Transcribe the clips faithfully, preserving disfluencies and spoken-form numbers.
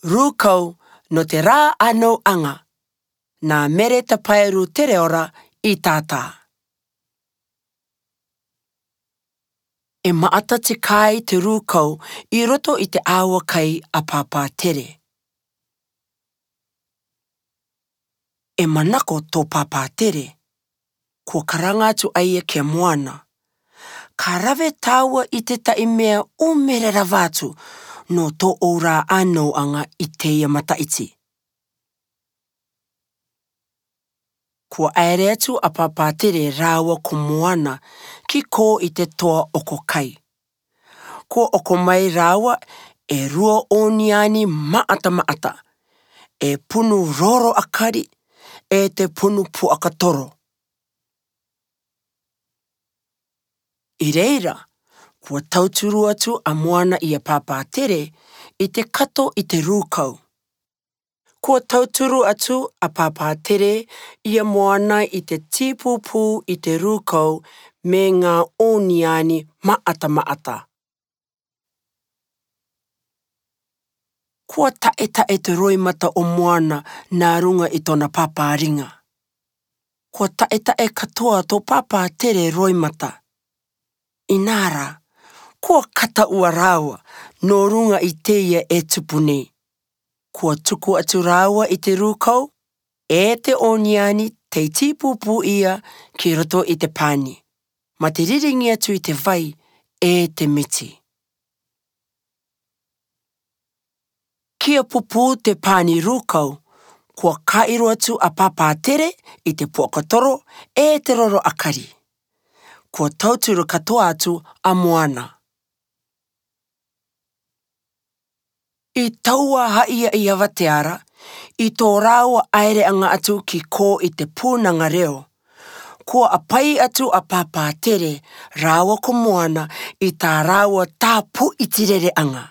Rūkau nō te rā'ano'aga, nā Mere Tapae Rūtereora i tātā. E ma'ata te kāi te rūkau i roto i te 'āua kai a Pāpā Tere. E manako tō Pāpā Tere. Kua karanga atu a ia ki a moana. Ka rave tāua i te ta'i mea 'ūmere rava atu nō tō'ou rā'ano'aga i teie mata'iti. Kua 'aere atu a Pāpā Tere rāua ko moana ki kō i te toa oko kai. Kua oko mai rāua e rua 'ōniani ma'ata ma'ata, e punu roro 'akari, e te punu puaka toro. I reira, kua tauturu atu a moana i a Pāpā Tere i te kato i te rūkau. Kua tauturu atu a Pāpā Tere i a moana i te tīpūpū i te rūkau me ngā 'ōniani ma'ata ma'ata. Kua ta'e ta'e te roimata o moana nā ruŋa i tōna pāpāriŋa. Kua ta'e ta'e katoa tō Pāpā Tere roimata. Inā rā, kua kata ua rāua nō ruŋa i teie e tupu nei. Kua tuku atu rāua i te rūkau, e te 'ōniani tei tīpūpū ia ki roto i te pani, mā te ririŋi atu i te vai e te miti. Kia pupū te pani rūkau, kua kā'iro atu a Pāpā Tere i te puaka toro e te roro 'akari. Kua tauturu katoa atu a moana. I taua ha'i a ia vateara, i tō rāua 'aere'aŋa atu ki kō i te pūnaŋa reo, kua 'āpai atu a Pāpā Tere rāua ko moana i tā rāua tāpu'i tirere'aŋa.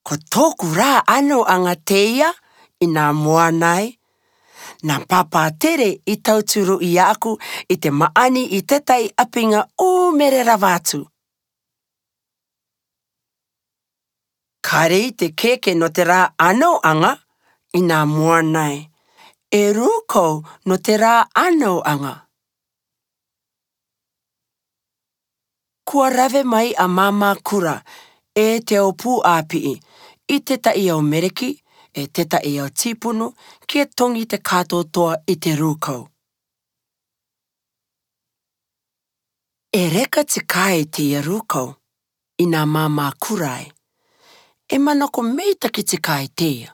Ko tō'oku rā'ano'aŋa teia, i nā moana e. Nā Pāpā Tere i tauturu i ā'aku i te ma'ani i te ta'i 'āpiŋa 'ūmere rava atu. Kāre i te kēke nō te rā'ano'aŋa, i nā moana e. E rūkau nō te rā'ano'aŋa. Kua rave mai a Māmā Kura e te au pū 'āpi'i, i te ta'i au mereki, e te ta'i au tīpunu, kia toŋi te kātoatoa i te rūkau. E reka te kāi teia rūkau, i nā Māmā Kura e. E manako meitaki te kāi teia.